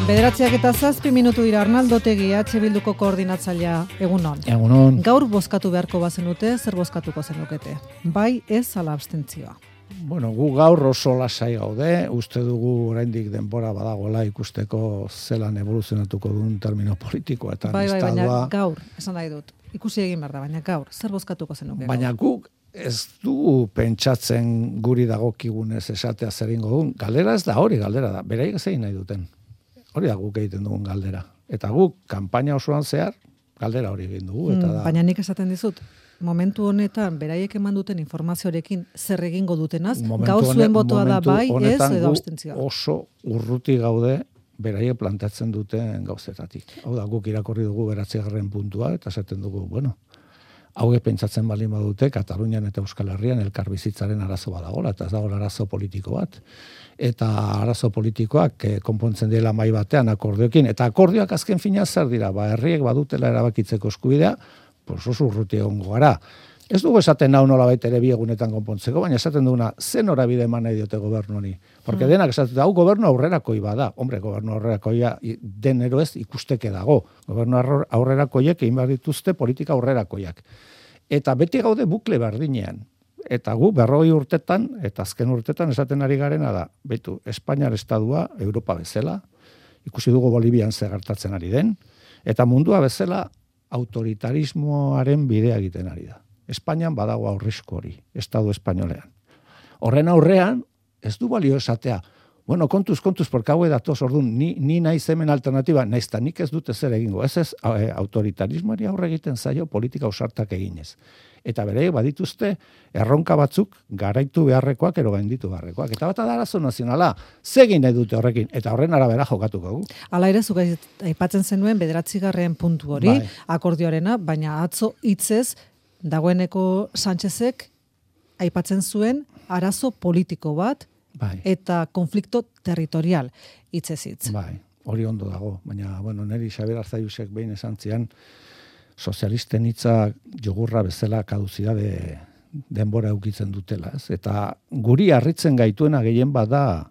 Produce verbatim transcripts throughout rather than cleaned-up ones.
Bederatziak eta zazpi minutu dira Arnaldo Otegi, H Bilduko koordinatzailea, egunon. Egunon. Gaur bozkatu beharko bazenute, zer bozkatuko zenukete? Bai, ez ala abstentzioa. Bueno, gu gaur oso lasai gaude, uste dugu oraindik denbora badagoela ikusteko zelan evoluzionatuko duen termino politikoa eta bai, bai, estadua. baina gaur, esan nahi dut, ikusi egin behar da, baina gaur, zer bozkatuko zenuke? Baina guk ez dugu pentsatzen guri dagokigunez esatea zer egingo duen. Galdera ez da hori, galdera da. Beraiek zein nahi duten. Hori da guk egiten dugun galdera. Eta guk, kanpaina osoan zehar, galdera hori egin dugu. Eta da... Baina nik esaten dizut, momentu honetan, beraiek eman duten informazioarekin zer egingo dutenaz, gau zuen botoa da bai, ez edo abstentzioa. Oso urruti gaude beraiek plantatzen duten gauzetatik. Hau da, guk irakorri dugu beratzigarren puntua, eta esaten dugu, bueno, hauek pentsatzen baldin badute, Katalunian eta Euskal Herrian elkarbizitzaren arazo badagola, eta ez dago arazo politiko bat. Eta arazo politikoak eh, konpontzen dela mai batean akordioekin, eta akordioak azken fina zer dira, ba, herriek badutela erabakitzeko eskubidea, pues oso urruti egongo gara. Ez dugu esaten nau nola baita ere biegunetan konpontzeko, baina esaten duguna, zen norabide eman nahi diote gobernu honi. Porque mm. denak esaten hau gobernu aurrerakoi bada. Hombre, gobernu aurrerakoia denero ez ikusteke dago. Gobernu aurrerakoiek egin behar dituzte politika aurrerakoiak. Eta beti gaude bukle berdinean. Eta gu berrogei urtetan, eta azken urtetan esaten ari garena da, betu, Espainiar estadua, Europa bezala, ikusi dugu Bolivian zer gertatzen ari den, eta mundua bezala autoritarismoaren bidea egiten ari da. Espainian badago aurrizko hori, estadu espainolean. Horren aurrean, ez du balio esatea, bueno, kontuz, kontuz, porque hau edatoz, orduan, ni, ni naiz hemen alternatiba, naizta nik ez dute zer egingo, ez ez, autoritarismoari aurre egiten zaio politika ausartak eginez. Eta bere badituzte erronka batzuk garaitu beharrekoak ero gainditu beharrekoak. Eta bat da arazo nazionala, zegin nahi dute horrekin, eta horren arabera jokatuko gu. Hala ere, zuk aipatzen zenuen bederatzigarren puntu hori, bai. Akordioarena, baina atzo hitzez dagoeneko Sánchezek aipatzen zuen arazo politiko bat, bai. Eta konflikto territorial hitzez hitz. Bai, hori ondo dago, baina bueno, neri Xabier Arzayusek behin esan zian, sozialisten hitza jogurra bezala kaduzidade denbora eukitzen dutela, ez? Eta guri harritzen gaituena gehien bada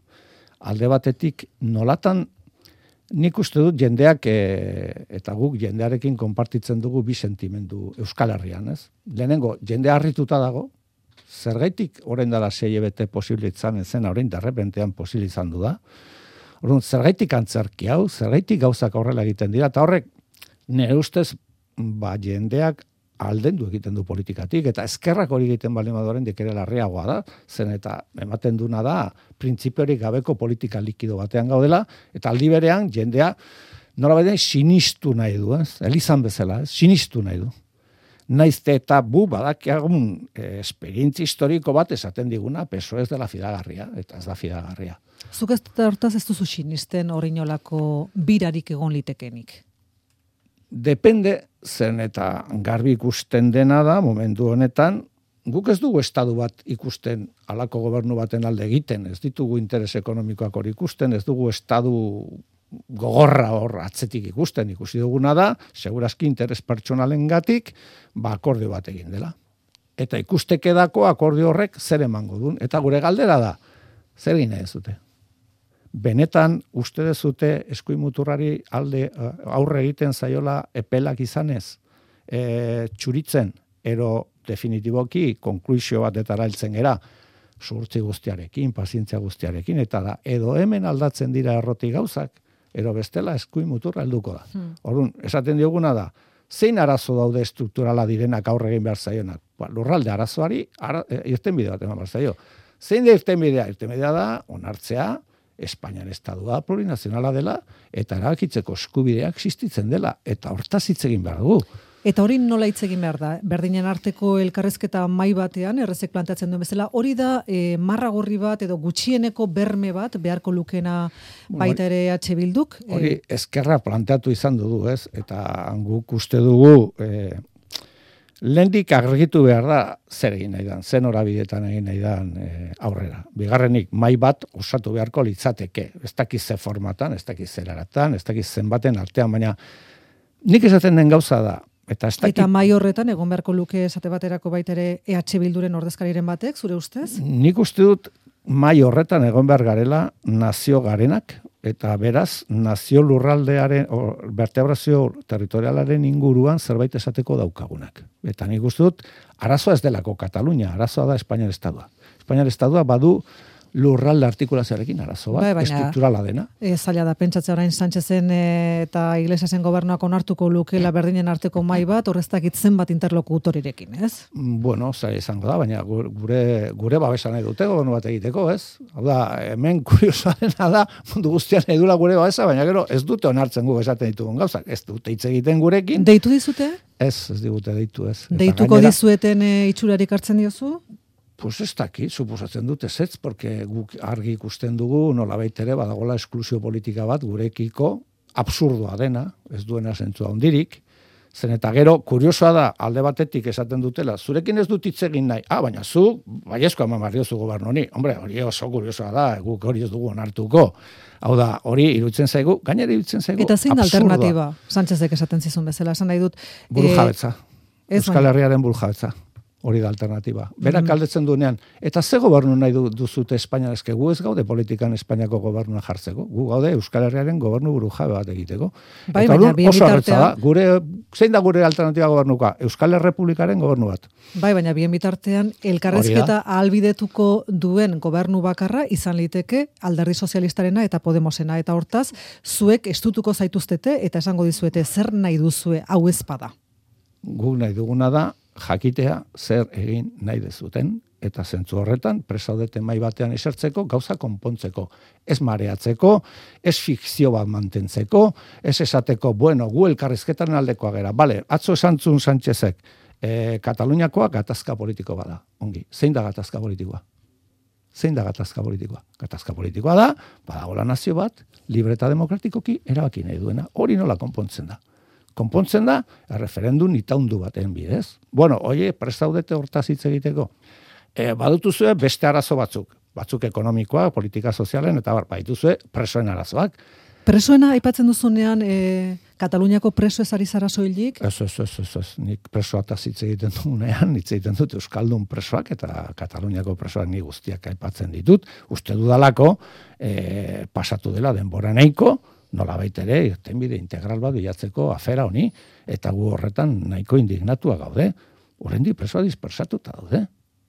alde batetik nolatan nik uste dut jendeak e, eta guk jendearekin konpartitzen dugu bi sentimendu Euskal Herrian, ez? Lehenengo jende harrituta dago, zergaitik orain dela sei hilabete posible izan zen, orain derrepentean posible izan du da. Orduan zergaitik antzerki hau, zergaitik gauzak horrela egiten dira, eta horrek nire ustez ba, jendeak aldendu egiten du politikatik, eta eskerrak hori egiten baldin badoren dekere larriagoa da, zen eta ematen duna da, printzipiorik gabeko politika likido batean gaudela, eta aldi berean jendea nola baina sinistu nahi du, ez? Elizan bezala, ez? Sinistu nahi du. Naizte eta bu badakiagun eh, esperientzi historiko bat esaten diguna, peso ez dela fidagarria, eta ez da fidagarria. Zuk ez hortaz ez duzu sinisten orinolako birarik egon litekenik? Depende, zen eta garbi ikusten dena da, momentu honetan, guk ez dugu estadu bat ikusten halako gobernu baten alde egiten, ez ditugu interes ekonomikoak hori ikusten, ez dugu estadu gogorra hor atzetik ikusten, ikusi duguna da, segurazki interes pertsonalengatik, ba akordio bat egin dela. Eta ikustekedako akordio horrek zer emango duen, eta gure galdera da, zer egin nahi zute? Benetan uste dezute eskuin muturrari alde aurre egiten zaiola epelak izanez, e, txuritzen, ero definitiboki konkluizio batetara heltzen gera, zuhurtzi guztiarekin, pazientzia guztiarekin, eta da, edo hemen aldatzen dira erroti gauzak, ero bestela eskuin muturra helduko da. Hmm. Orduan, esaten dioguna da, zein arazo daude estrukturala direnak aurre egin behar zaionak? Ba, lurralde arazoari ara, irtenbide bat eman behar zaio. Zein da irtenbidea? Irtenbidea da, onartzea, Espainian estadua plurinazionala dela, eta erabakitzeko eskubideak existitzen dela, eta hortaz hitz egin behar dugu. Eta hori nola hitz egin behar da? Berdinen arteko elkarrezketa mai batean, errezek planteatzen duen bezala, hori da e, marra gorri bat edo gutxieneko berme bat beharko lukena baita ere H Bilduk? Hori eskerra planteatu izan dugu, ez? Eta guk uste dugu... E, Lehendik argitu behar da zer egin nahi dan, zen horabidetan egin nahi dan e, aurrera. Bigarrenik, mai bat osatu beharko litzateke. Ez dakiz ze formatan, ez dakiz zer aratan, ez dakiz zenbaten artean, baina nik esaten den gauza da. Eta, dakit... eta mai horretan, egon beharko luke esate baterako baitere E H Bilduren ordezkariren batek, zure ustez? Nik uste dut mai horretan egon behar garela nazio garenak, eta beraz, nazio lurraldearen, o, vertebrazio territorialaren inguruan zerbait esateko daukagunak. Eta nik uste dut, arazoa ez delako Katalunia, arazoa da Espainiar Estadua. Espainiar Estadua badu lurralde artikulazioarekin arazo bat, bai, estrukturala dena. E, zaila da, pentsatzea orain Sánchezen e, eta Iglesiasen gobernuak onartuko lukela berdinen arteko mai bat, horreztak itzen bat interlokutorirekin, ez? Bueno, zaila izango da, baina gure, gure babesa nahi dute gobernu bat egiteko, ez? Hau da, hemen kuriosoarena da, mundu guztian nahi dula gure babesa, baina gero ez dute onartzen gu esaten ditugun gauzak, ez dute hitz egiten gurekin. Deitu dizute? Ez, ez digute deitu, ez. Deituko gainera, dizueten e, itxurarik hartzen diozu? Pues ez daki, suposatzen dute zetz, porque guk argi ikusten dugu, nolabait ere badagola esklusio politika bat gurekiko absurdoa dena, ez duena zentzua hondirik, zen eta gero, kuriosoa da, alde batetik esaten dutela, zurekin ez dut hitz egin nahi, ah, baina zu, baiezko eman barriozu gobernu honi, hombre, hori oso kuriosoa da, guk hori ez dugu onartuko, hau da, hori iruditzen zaigu, gainera iruditzen zaigu, eta zein alternatiba, Sánchezek esaten zizun bezala, esan nahi dut, burujabetza, e, Euskal Herriaren burujabetza. Hori da alternatiba. Berak mm-hmm. galdetzen duenean, eta ze gobernu nahi du, duzute Espainia eske, gu ez gaude politikan Espainiako gobernua jartzeko, gu gaude Euskal Herriaren gobernu burujabe bat egiteko. Bai, eta baina, bien bitartean... Da, gure, zein da gure alternatiba gobernuka? Euskal Errepublikaren gobernu bat. Bai, baina bien bitartean, elkarrezketa ahalbidetuko duen gobernu bakarra izan liteke Alderdi Sozialistarena eta Podemosena, eta hortaz, zuek estutuko zaituztete, eta esango dizuete, zer nahi duzue hau ezpada? Gu nahi duguna da, jakitea zer egin nahi dezuten, eta zentzu horretan presaudete mai batean esertzeko, gauza konpontzeko, ez mareatzeko, ez fikzio bat mantentzeko, ez esateko, bueno, gu elkarrizketan aldekoa gera, bale, atzo esantzun Sánchezek, e, Kataluniakoa gatazka politiko bada, ongi, zein da gatazka politikoa? Zein da gatazka politikoa? Gatazka politikoa da, badagola nazio bat, libre eta demokratikoki erabaki nahi duena, hori nola konpontzen da. Konpontzen da, referendum itaundu baten bidez. Bueno, oie, prestaudete hortaz hitz egiteko. E, badutuzue beste arazo batzuk. Batzuk ekonomikoa, politika sozialen, eta bar, badutuzue presoen arazoak. Presoena aipatzen duzunean, e, Kataluniako preso ez ari zara soilik? Ez, ez, ez, ez, ez. Nik presoataz hitz egiten dugunean, hitz egiten dut Euskaldun presoak, eta Kataluniako presoak ni guztiak aipatzen ditut. Uste dudalako, e, pasatu dela denbora nahiko, nola baitere, irtenbide integral bat bilatzeko afera honi, eta gu horretan nahiko indignatua gaude. Oraindik presoa dispersatuta daude.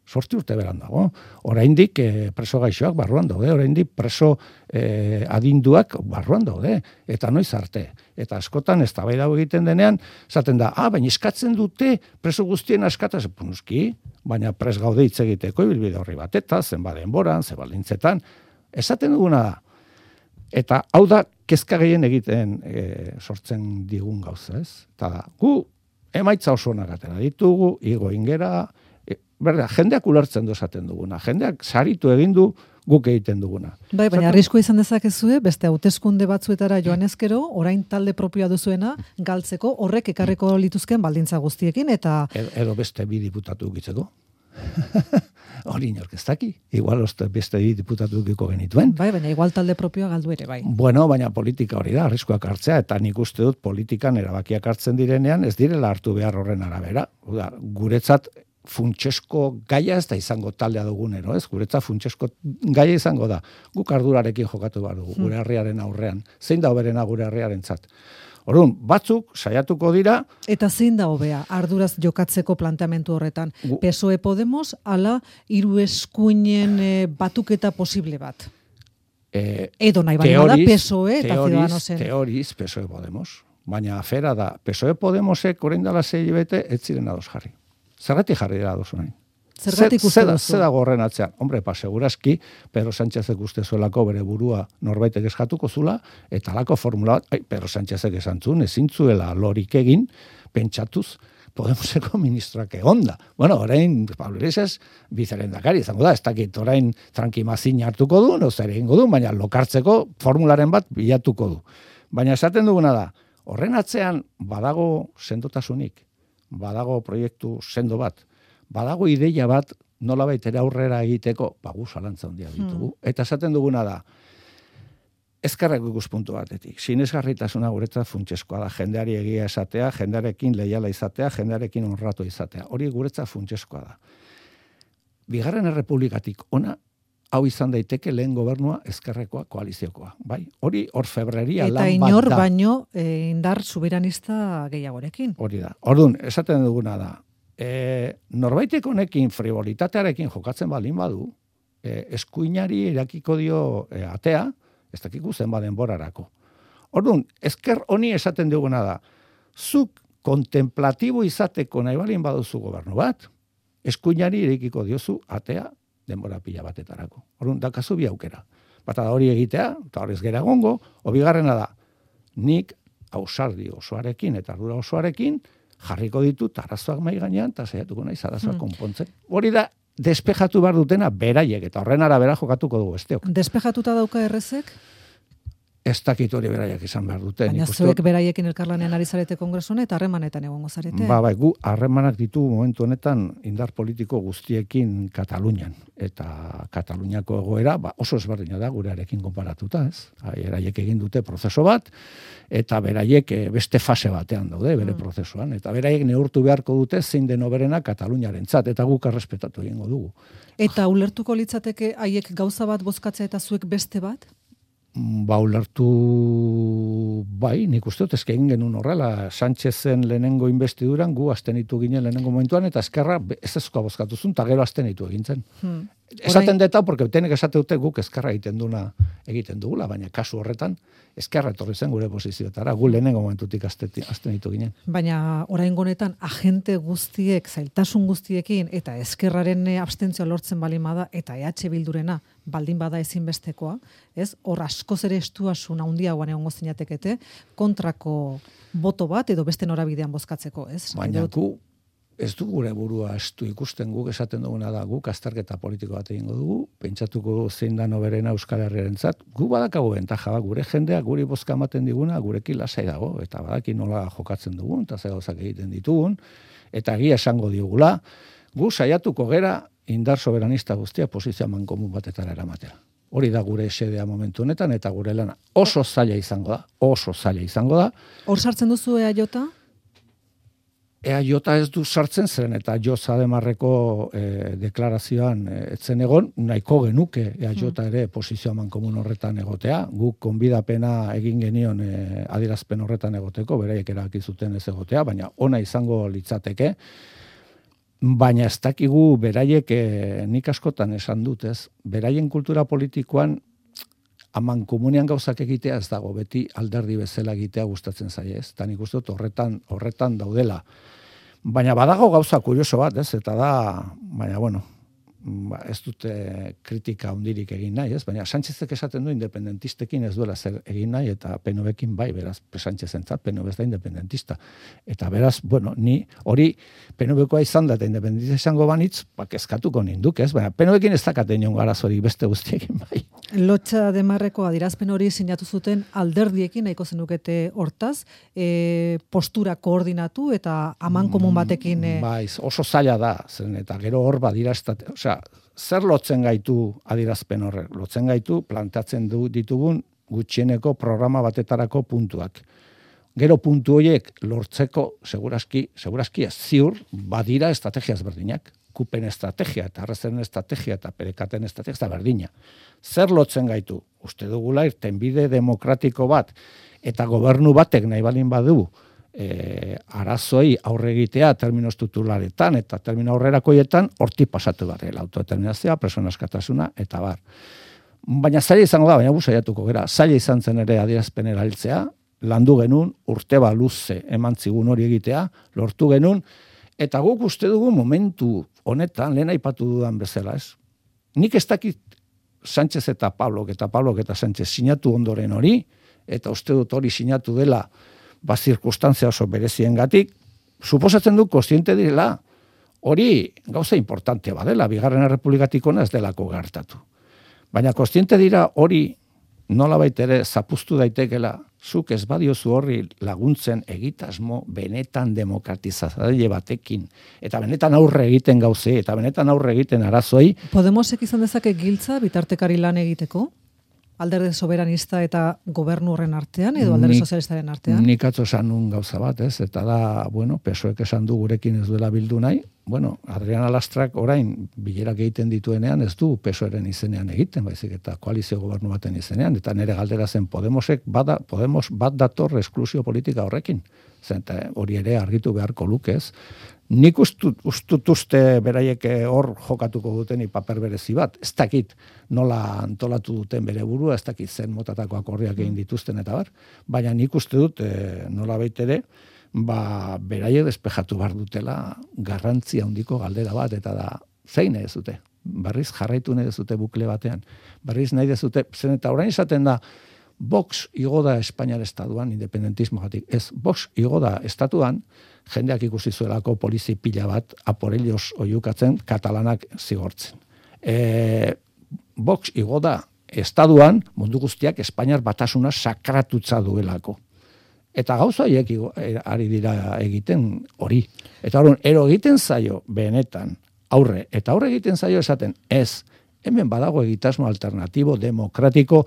Sorti urte beran dago. Oraindik eh, preso gaixoak barruan daude, oraindik preso eh, adinduak barruan daude. Eta noiz arte. Eta askotan eztabaida egiten denean, esaten da, ah, baina eskatzen dute preso guztien askataz, punuski, baina pres gaude hitz egiteko ibilbide horri bat, eta zenba denboran, zenba lintzetan, esaten duguna da. Eta hau da, kezka gehien egiten e, sortzen digun gauza, ez? Eta da, gu emaitza oso onak atera ditugu, igo ingera, e, berda, jendeak ulertzen du esaten duguna, jendeak saritu egin du guk egiten duguna. Bai, baina arriskua izan dezakezue, beste hauteskunde batzuetara joan ezkero, orain talde propioa duzuena, galtzeko horrek ekarriko lituzken baldintza guztiekin, eta... Edo, edo beste bi diputatu gitzeko. Hori inork ez daki. Igual beste diputatu dukiko genituen. Bai, baina igual talde propioa galdu ere, bai. Bueno, baina politika hori da, arriskuak hartzea, eta nik uste dut politikan erabakiak hartzen direnean, ez direla hartu behar horren arabera. Uda, guretzat funtsesko gaia ez da izango taldea dugunero, ez? Guretzat funtsesko gaia izango da. Guk ardurarekin jokatu behar dugu, gure herriaren aurrean. Zein da hoberena gure herriarentzat? Orduan, batzuk saiatuko dira... Eta zein da hobea, arduraz jokatzeko planteamentu horretan? P S O E Podemos, ala hiru eskuinen e, batuketa posible bat? E, Edo nahi baina da P S O E eta Ciudadanosen. Teoriz, P S O E Podemos. Baina afera da, P S O E Podemosek orain dela sei hilabete ez ziren ados jarri. Zergatik jarri dira ados orain? Zergatik uste duzu? Zer dago horren atzean? Hombre, pa, seguraski, Pedro Sánchezek uste zuelako bere burua norbaitek eskatuko zula, eta alako formula bat, ai, Pedro Sánchezek esantzun, ezin zuela lorik egin, pentsatuz, Podemoseko ministroak egonda. Bueno, orain, Pablo Iglesias, bizarendakari izango da, ez dakit orain trankimazin hartuko du, no zer egingo du, baina lokartzeko formularen bat bilatuko du. Baina esaten duguna da, horren atzean badago sendotasunik, badago proiektu sendo bat, badago ideia bat nolabait ere aurrera egiteko, bagu zalantza handia ditugu. Hmm. Eta esaten duguna da, ezkerrak ikuspuntu batetik. Sinesgarritasuna guretzat funtseskoa da, jendeari egia esatea, jendearekin leiala izatea, jendearekin honratu izatea. Hori guretzat funtseskoa da. Bigarren errepublikatik ona, hau izan daiteke lehen gobernua ezkerrekoa koaliziokoa, bai? Hori hor febreria lan bat da. Eta inor baino e, indar soberanista gehiagorekin. Hori da. Orduan, esaten duguna da, e, norbaitek honekin frivolitatearekin jokatzen baldin badu, e, eskuinari irakiko dio e, atea, ez dakiku zen baden borarako. Orduan, ezker honi esaten duguna da, zuk kontemplatibo izateko nahi balin baduzu gobernu bat, eskuinari irekiko diozu atea denbora pila batetarako. Orduan, dakazu bi aukera. Bata da hori egitea, eta horrez gera gongo, obigarrena da, nik ausardi osoarekin eta ardura osoarekin jarriko ditut arazoak mai gainean, eta saiatuko naiz arazoak hmm. konpontzen. Hori da, despejatu behar dutena beraiek, eta horren arabera jokatuko dugu besteok. Despejatuta dauka errezek? Ez dakit hori beraiek izan behar dute. Baina zuek beraiekin elkarlanean ari zarete kongresuan eta harremanetan egongo zarete. Ba, bai, gu harremanak ditugu momentu honetan indar politiko guztiekin Katalunian. Eta Kataluniako egoera ba, oso ezberdina da gurearekin konparatuta, ez? Beraiek egin dute prozeso bat, eta beraiek beste fase batean daude bere mm. prozesuan. Eta beraiek neurtu beharko dute zein den hoberena Kataluniarentzat, eta guk errespetatu egingo dugu. Eta ulertuko litzateke haiek gauza bat bozkatzea eta zuek beste bat? Ba, ulertu bai, nik uste dut ezke egin genuen horrela, Sánchezen lehenengo investiduran gu astenitu ginen lehenengo momentuan, eta ezkerra ez ezkoa bozkatuzun, eta gero astenitu egin zen. Hmm. Esaten deta, porque tenek esate dute guk ezkerra egiten duna egiten dugula, baina kasu horretan ezkerra etorri zen gure posizioetara, gu lehenengo momentutik astenitu ginen. Baina oraingo honetan agente guztiek, zailtasun guztiekin, eta ezkerraren abstentzioa lortzen baldin bada, eta E H Bildurena baldin bada ezinbestekoa, ez? Hor askoz ere estuasun handiagoan egongo zinatekete, kontrako boto bat edo beste norabidean bozkatzeko, ez? Baina gu ez du gure burua estu ikusten, guk esaten duguna da, guk azterketa politiko bat egingo dugu, pentsatuko zein da noberena Euskal Herriarentzat, gu badakago bentaja, gure jendeak guri bozka ematen diguna, gurekin lasai dago, eta badaki nola jokatzen dugun, eta ze gauzak egiten ditugun, eta egia esango digula, gu saiatuko gera indar soberanista guztia posizio mankomun batetara eramatea. Hori da gure esedea momentu honetan, eta gure lana oso zaila izango da, oso zaila izango da. Hor sartzen duzu E A J? E A J ez du sartzen zen, eta Jo Zademarreko e, deklarazioan e, etzen egon, nahiko genuke E A J ere posizio mankomun horretan egotea, guk konbidapena egin genion e, adierazpen horretan egoteko, beraiek erabaki zuten ez egotea, baina ona izango litzateke, baina ez dakigu beraiek e, nik askotan esan dut, ez? Beraien kultura politikoan aman komunean gauzak egitea ez dago, beti alderdi bezala egitea gustatzen zaie, ez? Ta nik uste dut horretan, horretan daudela. Baina badago gauza kurioso bat, ez? Eta da, baina bueno, ba, ez dute kritika hundirik egin nahi, ez? Baina Sánchezek esaten du independentistekin ez duela zer egin nahi, eta P N V-ekin bai, beraz, Sánchezentzat, P N V ez da independentista. Eta beraz, bueno, ni hori P N V-koa izan da, eta independentista izango banitz, bak eskatuko ninduk, ez? Baina P N V-ekin ez dakate nion garazorik beste guztiekin bai. Lotxa Demarreko adirazpen hori sinatu zuten alderdiekin nahiko zenukete hortaz, e, postura koordinatu eta aman komun batekin... E... Bai, oso zaila da, zen, eta gero hor badira, osea, zer lotzen gaitu adirazpen horrek? Lotzen gaitu plantatzen du ditugun gutxieneko programa batetarako puntuak. Gero puntu horiek lortzeko segurazki, segurazki ez ziur, badira estrategia ezberdinak. Kupen estrategia eta arrezeren estrategia eta perekaten estrategia eta berdina. Zer lotzen gaitu? Uste dugula irtenbide demokratiko bat eta gobernu batek nahi balin badu e, arazoi aurre egitea terminos titularetan eta termino aurrerakoietan horti pasatu behar, autodeterminazioa, persona askatasuna eta bar. Baina zaila izango da, baina saiatuko gera, zaila izan zen ere adierazpen erabiltzea, landu genuen, urte ba luze eman zigun hori egitea, lortu genuen, eta guk uste dugu momentu honetan, lehen aipatu dudan bezala, ez? Nik ez dakit Sánchez eta Pablok, eta Pablok eta Sánchez sinatu ondoren hori, eta uste dut hori sinatu dela, ba, zirkustantzia oso bereziengatik, suposatzen du kontziente direla, hori gauza importante badela, bigarren errepublikatik ona ez delako gertatu. Baina kontziente dira hori nola baitere zapuztu daitekela, zuk ez badiozu horri laguntzen egitasmo benetan demokratizatzaile batekin, eta benetan aurre egiten gauzei, eta benetan aurre egiten arazoi. Podemosek izan dezake giltza bitartekari lan egiteko? alderdi soberanista eta gobernu horren artean, edo alderdi sozialistaren artean? Nik atzo esan nun gauza bat, ez? Eta da, bueno, P S O Ek esan du gurekin ez duela bildu nahi. Bueno, Adriana Lastrak orain bilerak egiten dituenean ez du P S O Eren izenean egiten, baizik eta koalizio gobernu baten izenean, eta nire galdera zen Podemosek bada, Podemos bat dator esklusio politika horrekin. Zenta hori ere argitu beharko lukez. Nik ustut, ustut uste beraiek hor jokatuko duten paper berezi bat. Ez dakit nola antolatu duten bere burua, ez dakit zen motatako akordiak egin dituzten eta bar. Baina nik uste dut e, nola baitere, ba, beraiek despejatu behar dutela garrantzia handiko galdera bat, eta da, zein nahi dezute? Barriz jarraitu nahi dezute bukle batean. Barriz nahi dezute, zen eta orain izaten da, Vox igo da Espainiar estatuan independentismogatik. Ez, Vox igo da estatuan, jendeak ikusi zuelako polizi pila bat aporellos oiukatzen katalanak zigortzen. E, Vox igo da estatuan mundu guztiak Espainiar batasuna sakratutza duelako. Eta gauza horiek ari dira egiten hori. Eta horren, ero egiten zaio benetan aurre, eta aurre egiten zaio esaten ez, hemen badago egitasmo alternatibo, demokratiko,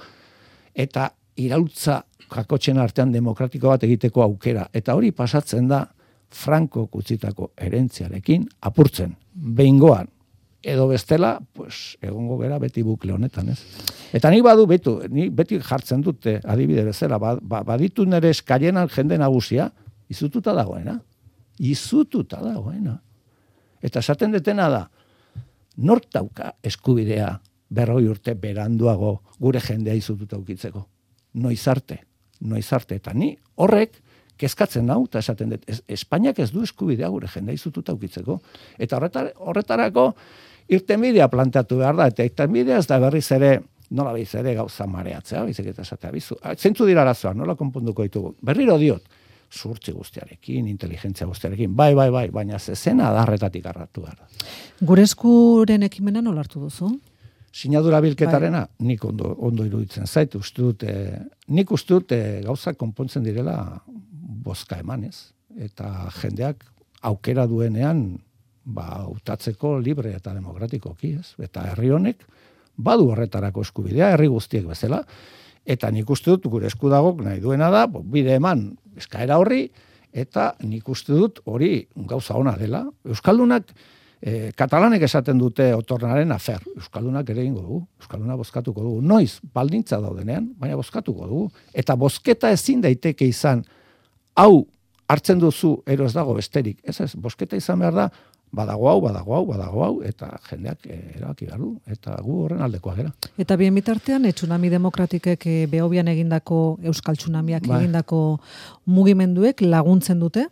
eta iraultza kakotxen artean demokratiko bat egiteko aukera. Eta hori pasatzen da Franco kutzitako herentziarekin apurtzen, behingoan, edo bestela, pues, egongo gera beti bukle honetan, ez? Eta nik badu, betu, nik beti jartzen dute, adibide bezala, ba, ba, baditu nire eskaienan jende nagusia, izututa dagoena. Izututa dagoena. Eta esaten detena da, nork dauka eskubidea berroi urte beranduago gure jendea izututa ukitzeko. Noiz arte, noiz arte. Eta ni horrek kezkatzen nau, eta esaten dut, Espainiak ez du eskubidea gure jendea izututa ukitzeko. Eta horretar, horretarako irtenbidea planteatu behar da, eta irtenbidea ez da berriz ere, nola behiz ere gauza mareatzea, bizik eta esatea, bizu, zentzu dira arazoa, nola konponduko ditugu. Berriro diot, zurtzi guztiarekin, inteligentzia guztiarekin, bai, bai, bai, baina zezena adarretatik arratu behar da. Gure eskuren ekimena nola hartu duzu? Sinadura bilketarena, bai. Nik ondo, ondo iruditzen zait, uste dut, e, nik uste dut e, gauzak konpontzen direla bozka emanez, eta jendeak aukera duenean, ba, utatzeko libre eta demokratikoki, ez? Eta herri honek badu horretarako eskubidea, herri guztiek bezala, eta nik uste dut gure eskudagok nahi duena da, bo, bide eman eskaera horri, eta nik uste dut hori gauza ona dela. Euskaldunak, E, katalanek esaten dute otornaren afer. Euskaldunak ere ingo dugu. Euskalduna bozkatuko dugu. Noiz, baldintza daudenean, baina bozkatuko dugu. Eta bozketa ezin daiteke izan, hau hartzen duzu ero ez dago besterik. Ez ez, bozketa izan behar da, badago hau, badago hau, badago hau, eta jendeak erabaki behar du. Eta gu horren aldekoa gera. Eta bien bitartean, e, tsunami demokratikek e, behobian egindako, euskal tsunamiak ba. egindako mugimenduek laguntzen dute?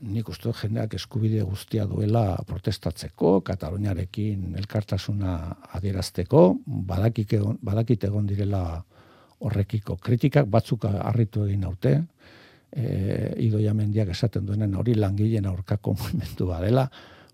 Nik uste jendeak eskubide guztia duela protestatzeko, Kataluniarekin elkartasuna adierazteko, badakik egon, badakit egon direla horrekiko kritikak, batzuk harritu egin naute, e, Idoia Mendiak esaten duenen hori langileen aurkako mugimendua dela,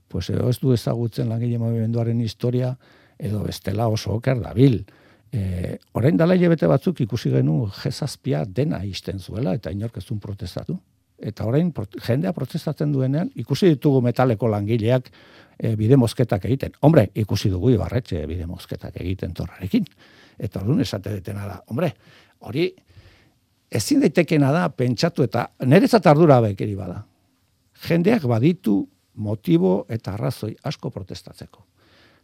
pues edo ez du ezagutzen langile mugimenduaren historia, edo bestela oso oker dabil. E, orain dela hilabete batzuk ikusi genu G zazpia dena isten zuela, eta inork ez duen protestatu. Eta orain jendea protestatzen duenean, ikusi ditugu metaleko langileak e, bide mozketak egiten. Hombre, ikusi dugu Ibarretxe bide mozketak egiten torrarekin. Eta orduan esate detena da. Hombre, hori ezin daitekena da pentsatu eta niretzat ardura bekeri bada. Jendeak baditu motibo eta arrazoi asko protestatzeko.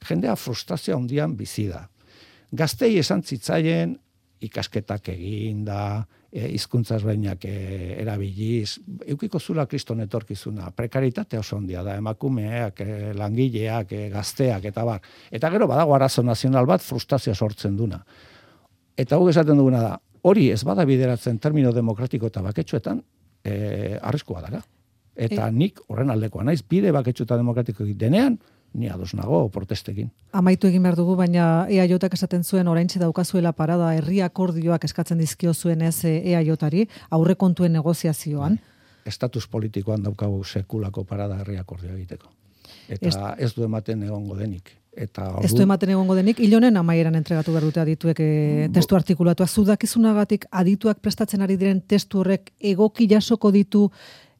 Jendea frustrazio handian bizi da. Gaztei esan zitzaien ikasketak egin da, e, hizkuntzaz bainak e, erabiliz, eukiko zula kriston etorkizuna, prekaritate oso handia da, emakumeak, e, langileak, e, gazteak, eta bar. Eta gero badago arazo nazional bat frustrazioa sortzen duna. Eta guk esaten duguna da, hori ez bada bideratzen termino demokratiko eta baketsuetan, e, arriskua dara. Eta e... nik horren aldekoa naiz, bide baketsu eta demokratiko denean, ni ados nago protestekin. Amaitu egin behar dugu, baina E A Jak esaten zuen oraintxe daukazuela parada herri akordioak eskatzen dizkio zuenez E A Jari aurrekontuen negoziazioan. Estatus politikoan daukagu sekulako parada herri akordioa egiteko. Eta Est... ez du ematen egongo denik. Eta ordu... Ez du ematen egongo denik, hilonen amaieran entregatu behar dute adituek e, testu artikulatua. Zudakizunagatik adituak prestatzen ari diren testu horrek egoki jasoko ditu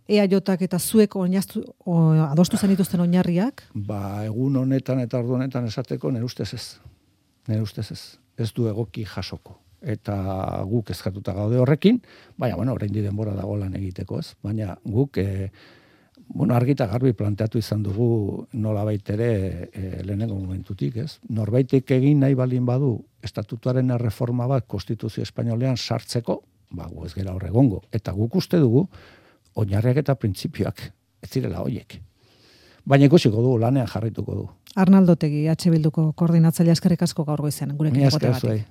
E A Jak eta zuek oinaztu, o, adostu zen dituzten oinarriak? Ba, egun honetan eta ordu honetan esateko nire ustez ez. Nire ustez ez. ez du egoki jasoko. Eta guk ezkatuta gaude horrekin, baina, bueno, oraindik denbora dago lan egiteko, ez? Baina guk, e, bueno, argita garbi planteatu izan dugu nolabait ere e, lehenengo momentutik, ez? Norbaitek egin nahi balin badu estatutuaren erreforma bat konstituzio espainolean sartzeko, ba, gu ez gera horregongo. Eta guk uste dugu, oinarriak eta printzipioak ez direla hoiek. Baina ikusiko du, lanean jarrituko du. Arnaldo Otegi, H Bilduko koordinatzailea, eskerrik asko gaur goizen gurekin egoteagatik.